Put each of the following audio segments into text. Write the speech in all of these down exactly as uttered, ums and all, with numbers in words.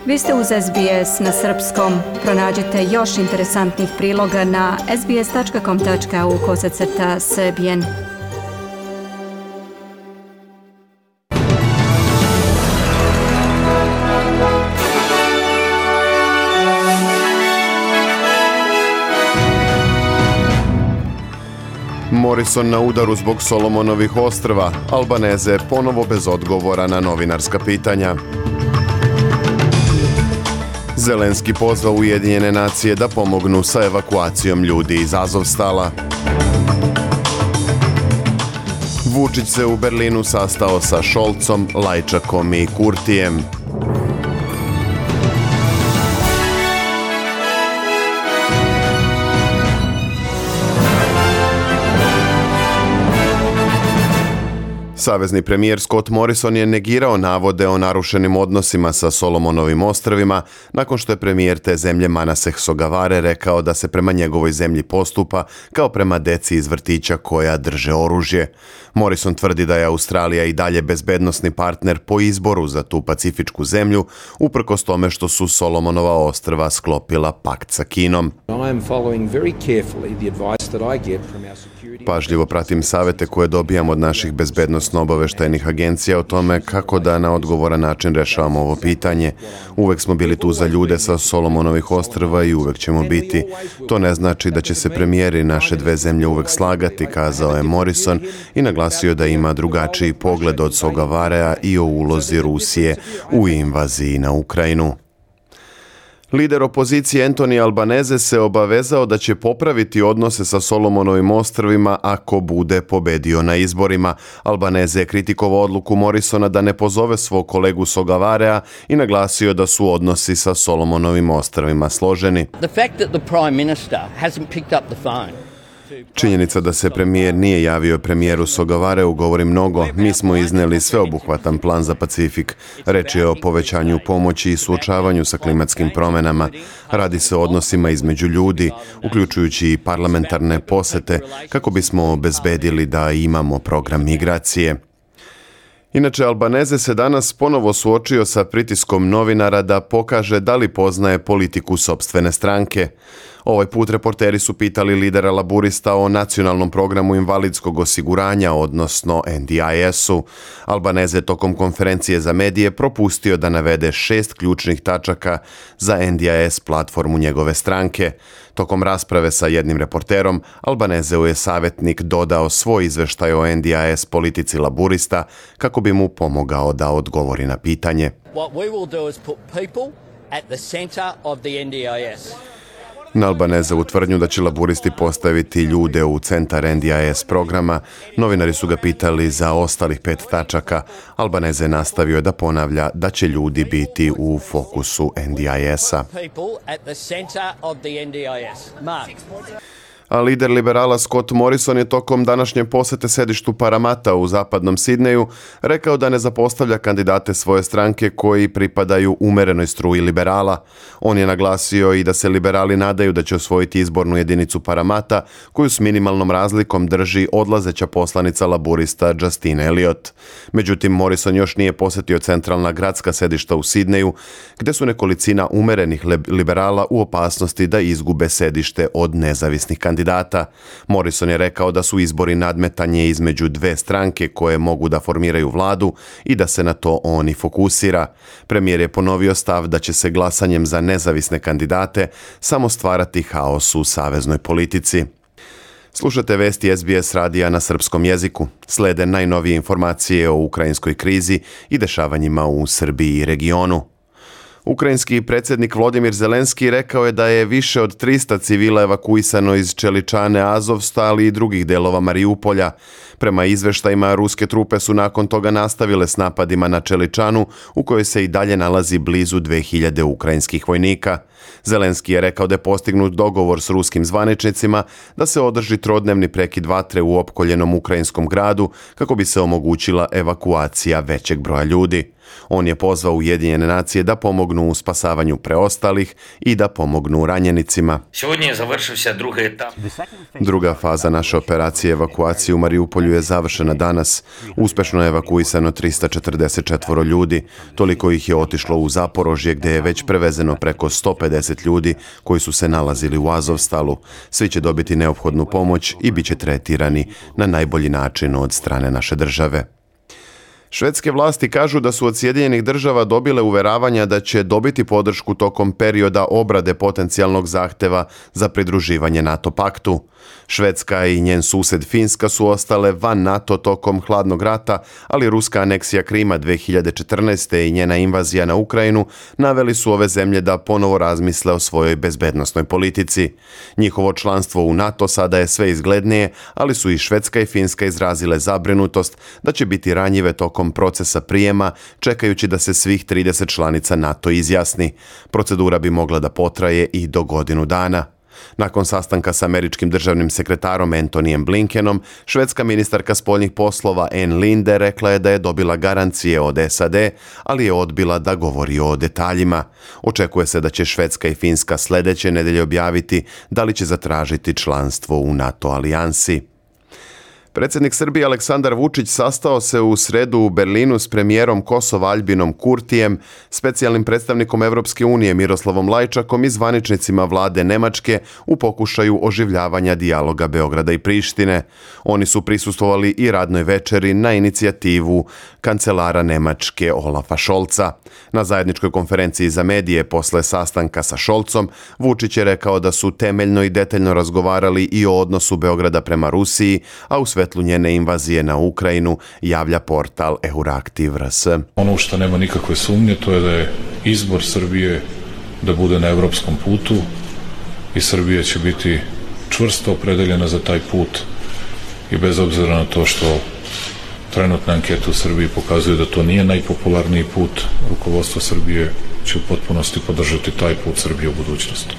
Vi ste uz S B S na srpskom. Pronađite još interesantnih priloga na sbs.com.au kosacrta srbijen. Morrison na udaru zbog Solomonovih ostrva, Albaneze ponovo bez odgovora na novinarska pitanja. Zelenski pozvao Ujedinjene nacije da pomognu sa evakuacijom ljudi iz Azovstala. Vučić se u Berlinu sastao sa Šolcom, Lajčakom i Kurtijem. Savezni premijer Scott Morrison je negirao navode o narušenim odnosima sa Solomonovim ostrvima nakon što je premijer te zemlje Manaseh Sogavare rekao da se prema njegovoj zemlji postupa kao prema deci iz vrtića koja drže oružje. Morrison tvrdi da je Australija i dalje bezbednosni partner po izboru za tu pacifičku zemlju, uprkos tome što su Solomonova ostrva sklopila pakt sa Kinom. Pažljivo pratim savete koje dobijam od naših bezbednosno-obaveštajnih agencija o tome kako da na odgovoran način rešavamo ovo pitanje. Uvek smo bili tu za ljude sa Solomonovih ostrva i uvek ćemo biti. To ne znači da će se premijeri naše dve zemlje uvek slagati, kazao je Morrison i naglasio da ima drugačiji pogled od Sogavarea i o ulozi Rusije u invaziji na Ukrajinu. Lider opozicije Anthony Albanese se obavezao da će popraviti odnose sa Solomonovim ostrvima ako bude pobedio na izborima. Albanese je kritikovao odluku Morrisona da ne pozove svog kolegu Sogavarea i naglasio da su odnosi sa Solomonovim ostrvima složeni. Činjenica da se premijer nije javio premijeru Sogavareu govori mnogo. Mi smo izneli sveobuhvatan plan za Pacifik. Reč je o povećanju pomoći i suočavanju sa klimatskim promjenama. Radi se o odnosima između ljudi, uključujući i parlamentarne posete, kako bismo obezbedili da imamo program migracije. Inače, Albanese se danas ponovo suočio sa pritiskom novinara da pokaže da li poznaje politiku sopstvene stranke. Ovaj put reporteri su pitali lidera laburista o nacionalnom programu invalidskog osiguranja, odnosno N D I S-u. Albanese tokom konferencije za medije propustio da navede šest ključnih tačaka za N D I S platformu njegove stranke. Tokom rasprave sa jednim reporterom, Albaneseu je savjetnik dodao svoj izveštaj o N D I S politici laburista kako bi mu pomogao da odgovori na pitanje. What we will do is put people at the center of the N D I S. Na Albanezevu tvrdnju da će laburisti postaviti ljude u centar N D I S programa, novinari su ga pitali za ostalih pet tačaka. Albanese nastavio je da ponavlja da će ljudi biti u fokusu N D I S-a. A lider liberala Scott Morrison je tokom današnje posete sedištu Paramata u zapadnom Sidneju rekao da ne zapostavlja kandidate svoje stranke koji pripadaju umerenoj struji liberala. On je naglasio i da se liberali nadaju da će osvojiti izbornu jedinicu Paramata, koju s minimalnom razlikom drži odlazeća poslanica laburista Justine Elliott. Međutim, Morrison još nije posetio centralna gradska sedišta u Sidneju, gde su nekolicina umerenih liberala u opasnosti da izgube sedište od nezavisnih kandidata. Data. Morrison je rekao da su izbori nadmetanje između dve stranke koje mogu da formiraju vladu i da se na to on i fokusira. Premijer je ponovio stav da će se glasanjem za nezavisne kandidate samo stvarati haos u saveznoj politici. Slušate vesti S B S radija na srpskom jeziku. Slede najnovije informacije o ukrajinskoj krizi i dešavanjima u Srbiji i regionu. Ukrajinski predsjednik Volodymyr Zelenski rekao je da je više od trista civila evakuisano iz Čeličane, Azovstala i drugih delova Mariupolja. Prema izveštajima, ruske trupe su nakon toga nastavile s napadima na Čeličanu, u kojoj se i dalje nalazi blizu dve hiljade ukrajinskih vojnika. Zelenski je rekao da je postignut dogovor s ruskim zvaničnicima da se održi trodnevni prekid vatre u opkoljenom ukrajinskom gradu kako bi se omogućila evakuacija većeg broja ljudi. On je pozvao Ujedinjene nacije da pomognu u spasavanju preostalih i da pomognu ranjenicima. Druga faza naše operacije evakuacije u Mariupolju je završena danas. Uspešno je evakuisano tristo četrdeset četiri ljudi. Toliko ih je otišlo u Zaporožje gdje je već prevezeno preko sto pedeset ljudi koji su se nalazili u Azovstalu. Svi će dobiti neophodnu pomoć i bit će tretirani na najbolji način od strane naše države. Švedske vlasti kažu da su od Sjedinjenih država dobile uveravanja da će dobiti podršku tokom perioda obrade potencijalnog zahteva za pridruživanje NATO paktu. Švedska i njen sused Finska su ostale van NATO tokom hladnog rata, ali ruska aneksija Krima dvije hiljade četrnaeste. i njena invazija na Ukrajinu naveli su ove zemlje da ponovo razmisle o svojoj bezbednosnoj politici. Njihovo članstvo u NATO sada je sve izglednije, ali su i Švedska i Finska izrazile zabrinutost da će biti ranjive tokom procesa prijema, čekajući da se svih trideset članica NATO izjasni. Procedura bi mogla da potraje i do godinu dana. Nakon sastanka s američkim državnim sekretarom Antonyjem Blinkenom, švedska ministarka spoljnih poslova Ann Linde rekla je da je dobila garancije od S A D, ali je odbila da govori o detaljima. Očekuje se da će Švedska i Finska sljedeće nedelje objaviti da li će zatražiti članstvo u NATO alijansi. Predsjednik Srbije Aleksandar Vučić sastao se u sredu u Berlinu s premijerom Kosova Albinom Kurtijem, specijalnim predstavnikom Evropske unije Miroslavom Lajčakom i zvaničnicima vlade Nemačke u pokušaju oživljavanja dijaloga Beograda i Prištine. Oni su prisustvovali i radnoj večeri na inicijativu kancelara Nemačke Olafa Scholza. Na zajedničkoj konferenciji za medije posle sastanka sa Scholzom, Vučić je rekao da su temeljno i detaljno razgovarali i o odnosu Beograda prema Rusiji, a u svetlu njene invazije na Ukrajinu, javlja portal Euraktiv R S. Ono što nema nikakve sumnje, to je da je izbor Srbije da bude na evropskom putu i Srbija će biti čvrsto opredeljena za taj put i bez obzira na to što trenutne ankete u Srbiji pokazuju da to nije najpopularniji put, rukovodstvo Srbije će u potpunosti podržati taj put Srbije u budućnosti.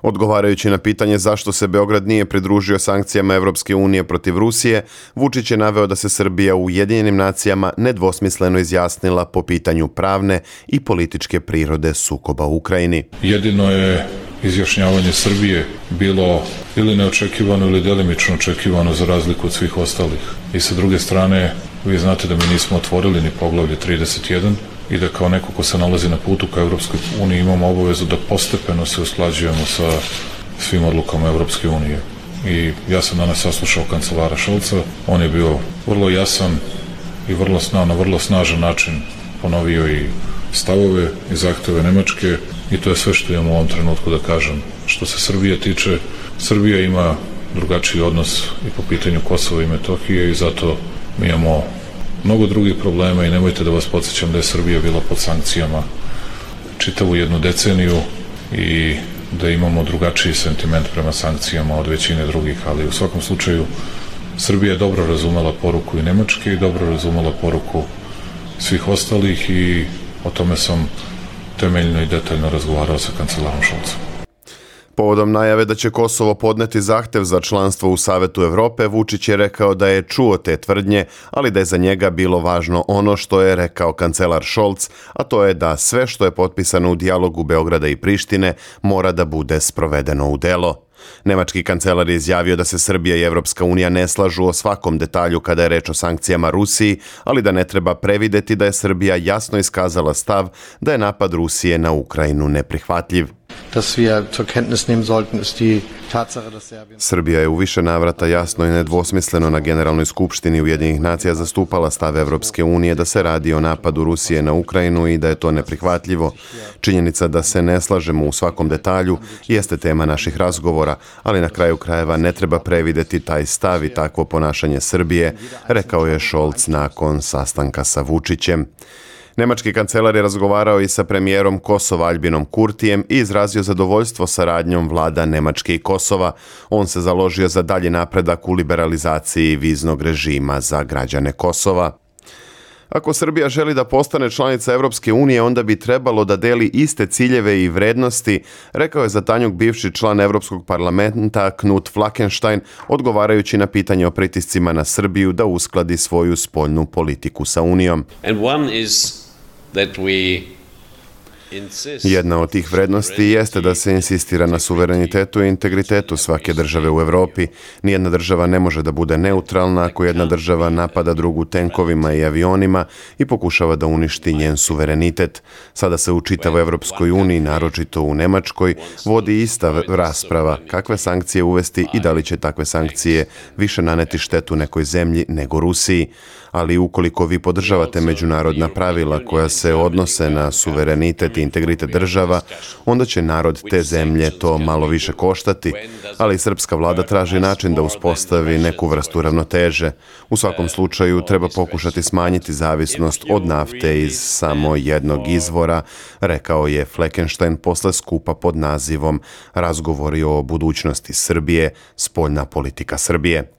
Odgovarajući na pitanje zašto se Beograd nije pridružio sankcijama Evropske unije protiv Rusije, Vučić je naveo da se Srbija u Ujedinjenim nacijama nedvosmisleno izjasnila po pitanju pravne i političke prirode sukoba u Ukrajini. Jedino je izjašnjavanje Srbije bilo ili neočekivano ili delimično očekivano za razliku od svih ostalih. I sa druge strane, vi znate da mi nismo otvorili ni poglavlje trideset jedan i da kao neko ko se nalazi na putu ka Evropskoj uniji imamo obavezu da postepeno se usklađujemo sa svim odlukama Evropske unije. I ja sam danas saslušao kancelara Scholza, on je bio vrlo jasan i vrlo sna, na vrlo snažan način ponovio i stavove i zahteve Nemačke i to je sve što imamo u ovom trenutku da kažem. Što se Srbije tiče, Srbija ima drugačiji odnos i po pitanju Kosova i Metohije i zato mi imamo mnogo drugih problema i nemojte da vas podsjećam da je Srbija bila pod sankcijama čitavu jednu deceniju i da imamo drugačiji sentiment prema sankcijama od većine drugih, ali u svakom slučaju Srbija je dobro razumela poruku i Nemačke i dobro razumela poruku svih ostalih i o tome sam temeljno i detaljno razgovarao sa kancelarom Scholzom. Povodom najave da će Kosovo podneti zahtev za članstvo u Savetu Evrope, Vučić je rekao da je čuo te tvrdnje, ali da je za njega bilo važno ono što je rekao kancelar Scholz, a to je da sve što je potpisano u dijalogu Beograda i Prištine mora da bude sprovedeno u delo. Nemački kancelar je izjavio da se Srbija i Evropska unija ne slažu o svakom detalju kada je reč o sankcijama Rusiji, ali da ne treba prevideti da je Srbija jasno iskazala stav da je napad Rusije na Ukrajinu neprihvatljiv. Srbija je u više navrata jasno i nedvosmisleno na Generalnoj skupštini Ujedinjenih nacija zastupala stav Evropske unije da se radi o napadu Rusije na Ukrajinu i da je to neprihvatljivo. Činjenica da se ne slažemo u svakom detalju jeste tema naših razgovora, ali na kraju krajeva ne treba prevideti taj stav i takvo ponašanje Srbije, rekao je Scholz nakon sastanka sa Vučićem. Nemački kancelar je razgovarao i sa premijerom Kosova Albinom Kurtijem i izrazio zadovoljstvo saradnjom vlada Nemačke i Kosova. On se založio za dalji napredak u liberalizaciji viznog režima za građane Kosova. Ako Srbija želi da postane članica Evropske unije, onda bi trebalo da deli iste ciljeve i vrednosti, rekao je za Tanjug bivši član Evropskog parlamenta Knut Flakenstein, odgovarajući na pitanje o pritiscima na Srbiju da uskladi svoju spoljnu politiku sa Unijom. And one is that we Jedna od tih vrednosti jeste da se insistira na suverenitetu i integritetu svake države u Evropi. Nijedna država ne može da bude neutralna ako jedna država napada drugu tenkovima i avionima i pokušava da uništi njen suverenitet. Sada se u čitavoj Evropskoj uniji, naročito u Nemačkoj, vodi ista rasprava kakve sankcije uvesti i da li će takve sankcije više naneti štetu nekoj zemlji nego Rusiji. Ali ukoliko vi podržavate međunarodna pravila koja se odnose na suverenitet i integritet država, onda će narod te zemlje to malo više koštati, ali srpska vlada traži način da uspostavi neku vrstu ravnoteže. U svakom slučaju treba pokušati smanjiti zavisnost od nafte iz samo jednog izvora, rekao je Fleckenstein posle skupa pod nazivom Razgovori o budućnosti Srbije, spoljna politika Srbije.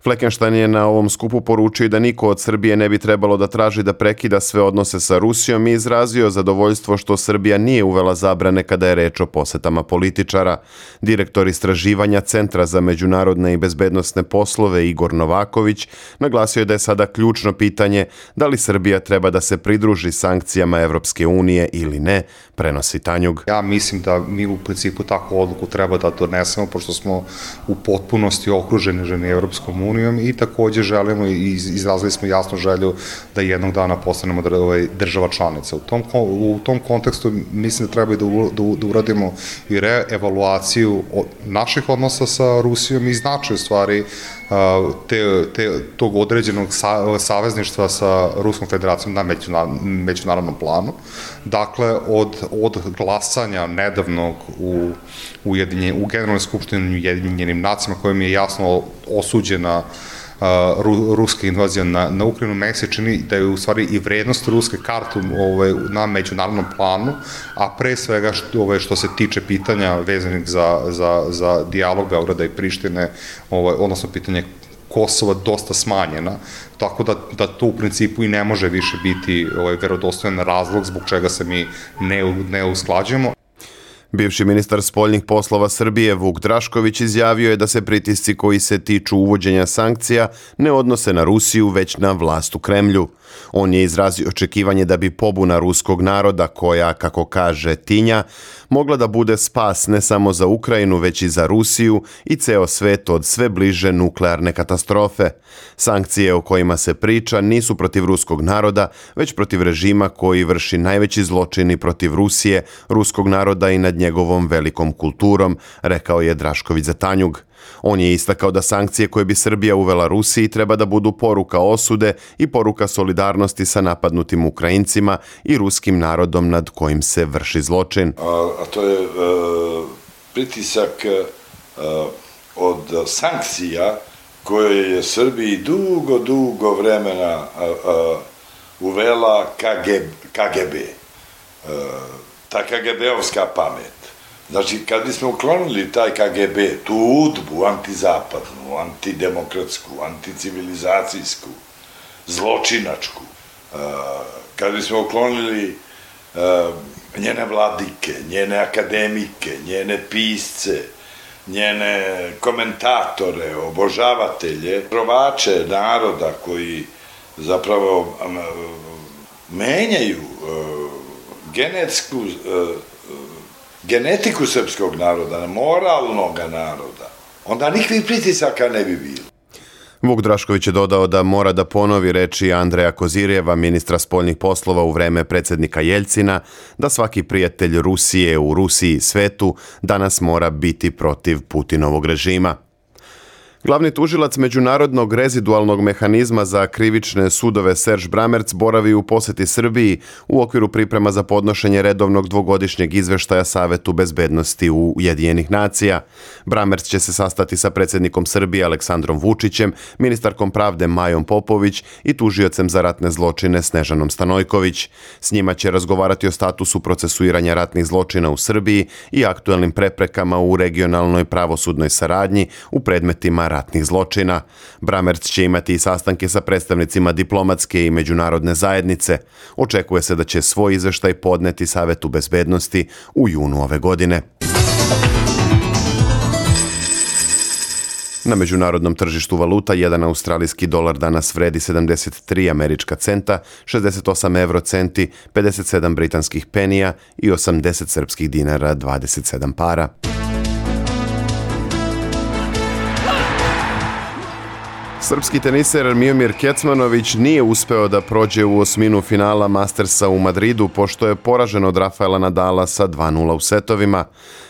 Fleckenstein je na ovom skupu poručio da niko od Srbije ne bi trebalo da traži da prekida sve odnose sa Rusijom i izrazio zadovoljstvo što Srbija nije uvela zabrane kada je reč o posetama političara. Direktor istraživanja Centra za međunarodne i bezbednosne poslove Igor Novaković naglasio je da je sada ključno pitanje da li Srbija treba da se pridruži sankcijama Evropske unije ili ne, prenosi Tanjug. Ja mislim da mi u principu takvu odluku treba da donesemo, pošto smo u potpunosti okruženi ženi Evropskom unijom i takođe želimo i izrazili smo jasnu želju da jednog dana postanemo država članica. U tom, u tom kontekstu mislim da treba da, da uradimo i reevaluaciju naših odnosa sa Rusijom i značaj u stvari te, te, tog određenog savezništva sa Ruskom federacijom na međunarodnom planu. Dakle, od, od glasanja nedavnog u, u, u Generalnoj skupštini Ujedinjenim nacijama, kojim je jasno osuđena Ru, ruska invazija na, na Ukrajinu, meni se čini da je u stvari i vrednost ruske karte ovaj, na međunarodnom planu, a pre svega što, ovaj, što se tiče pitanja vezanih za, za, za dijalog Beograda i Prištine, ovaj, odnosno pitanje Kosova, dosta smanjena, tako da, da to u principu i ne može više biti ovaj, verodostojan razlog zbog čega se mi ne, ne usklađujemo. Bivši ministar spoljnih poslova Srbije Vuk Drašković izjavio je da se pritisci koji se tiču uvođenja sankcija ne odnose na Rusiju, već na vlast u Kremlju. On je izrazio očekivanje da bi pobuna ruskog naroda, koja, kako kaže Tinja, mogla da bude spas ne samo za Ukrajinu, već i za Rusiju i ceo svet od sve bliže nuklearne katastrofe. Sankcije o kojima se priča nisu protiv ruskog naroda, već protiv režima koji vrši najveći zločini protiv Rusije, ruskog naroda i nad njegovom velikom kulturom, rekao je Drašković za Tanjug. On je istakao da sankcije koje bi Srbija uvela Rusiji treba da budu poruka osude i poruka solidarnosti sa napadnutim Ukrajincima i ruskim narodom nad kojim se vrši zločin. A, a to je e, pritisak e, od sankcija koje je Srbiji dugo, dugo vremena a, a, uvela K G B. E, ta K G B-ovska pamet. Znači, kad bismo uklonili taj K G B, tu udbu antizapadnu, antidemokratsku, anticivilizacijsku, zločinačku, kad bismo uklonili njene vladike, njene akademike, njene pisce, njene komentatore, obožavatelje, provače naroda koji zapravo menjaju genetsku genetiku srpskog naroda, moralnog naroda, onda nikakvih pritisaka ne bi bilo. Vuk Drašković je dodao da mora da ponovi reči Andreja Kozirjeva, ministra spoljnih poslova u vreme predsjednika Jeljcina, da svaki prijatelj Rusije u Rusiji i svetu danas mora biti protiv Putinovog režima. Glavni tužilac Međunarodnog rezidualnog mehanizma za krivične sudove Serge Bramerc boravi u poseti Srbiji u okviru priprema za podnošenje redovnog dvogodišnjeg izveštaja Savetu bezbednosti u Ujedinjenih nacija. Bramerc će se sastati sa predsjednikom Srbije Aleksandrom Vučićem, ministarkom pravde Majom Popović i tužiocem za ratne zločine Snežanom Stanojković. S njima će razgovarati o statusu procesuiranja ratnih zločina u Srbiji i aktuelnim preprekama u regionalnoj pravosudnoj saradnji u predmetima ratnih zločina. Bramerc će imati i sastanke sa predstavnicima diplomatske i međunarodne zajednice. Očekuje se da će svoj izveštaj podneti Savetu bezbednosti u junu ove godine. Na međunarodnom tržištu valuta jedan australijski dolar danas vredi sedamdeset tri američka centa, šezdeset osam eurocenti, pedeset sedam britanskih penija i osamdeset srpskih dinara dvadeset sedam para. Srpski teniser Miomir Kecmanović nije uspeo da prođe u osminu finala Mastersa u Madridu pošto je poražen od Rafaela Nadala sa dva nula u setovima.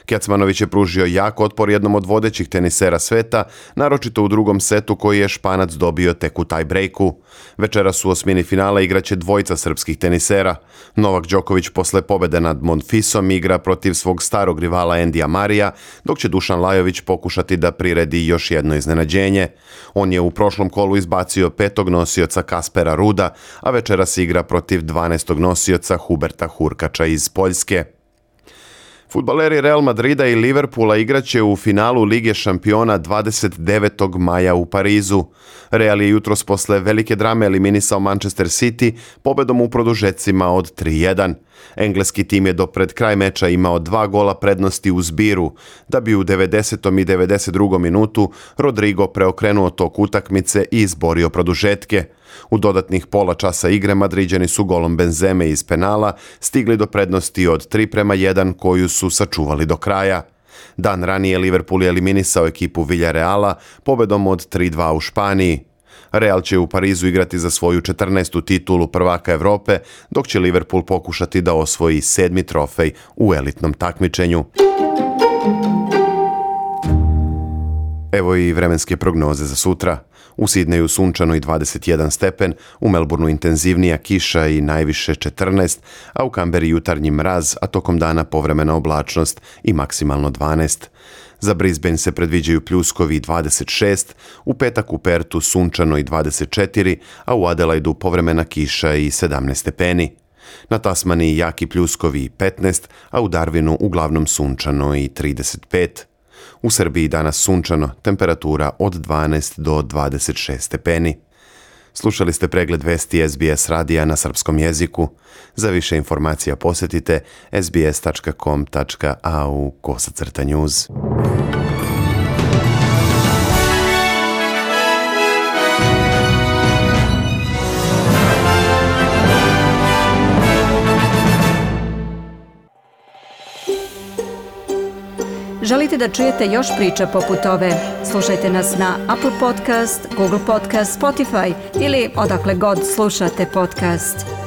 Kecmanović je pružio jak otpor jednom od vodećih tenisera sveta, naročito u drugom setu koji je Španac dobio tek u tie-breaku. Večeras u osmini finala igraće dvojica srpskih tenisera. Novak Đoković posle pobede nad Monfisom igra protiv svog starog rivala Endija Marija, dok će Dušan Lajović pokušati da priredi još jedno iznenađenje. On je u prošlom kolu izbacio petog nosioca Kaspera Ruda, a večeras igra protiv dvanaestog nosioca Huberta Hurkača iz Poljske. Fudbaleri Real Madrida i Liverpoola igraće u finalu Lige šampiona dvadeset devetog maja u Parizu. Real je jutros posle velike drame eliminisao Manchester City pobedom u produžecima od tri jedan. Engleski tim je do pred kraj meča imao dva gola prednosti u zbiru, da bi u devedesetom i devedeset drugom minutu Rodrigo preokrenuo tok utakmice i izborio produžetke. U dodatnih pola časa igre Madriđani su golom Benzeme iz penala stigli do prednosti od tri prema jedan koju su sačuvali do kraja. Dan ranije Liverpool je eliminisao ekipu Villareala pobedom od tri dva u Španiji. Real će u Parizu igrati za svoju četrnaestu titulu prvaka Evrope, dok će Liverpool pokušati da osvoji sedmi trofej u elitnom takmičenju. Evo i vremenske prognoze za sutra. U Sidneju sunčano i dvadeset jedan stepen, u Melbourneu intenzivnija kiša i najviše četrnaest, a u Kamberi jutarnji mraz, a tokom dana povremena oblačnost i maksimalno dvanaest. Za Brisbane se predviđaju pljuskovi i dvadeset šest, u petak u Pertu sunčano i dvadeset četiri, a u Adelaidu povremena kiša i sedamnaest stepeni. Na Tasmaniji jaki pljuskovi i petnaest, a u Darwinu uglavnom sunčano i trideset pet. U Srbiji danas sunčano, temperatura od dvanaest do dvadeset šest stepeni. Slušali ste pregled vesti S B S radija na srpskom jeziku. Za više informacija posjetite s b s tačka com tačka a u kosacrta news. Želite da čujete još priča poput ove? Slušajte nas na Apple Podcast, Google Podcast, Spotify ili odakle god slušate podcast.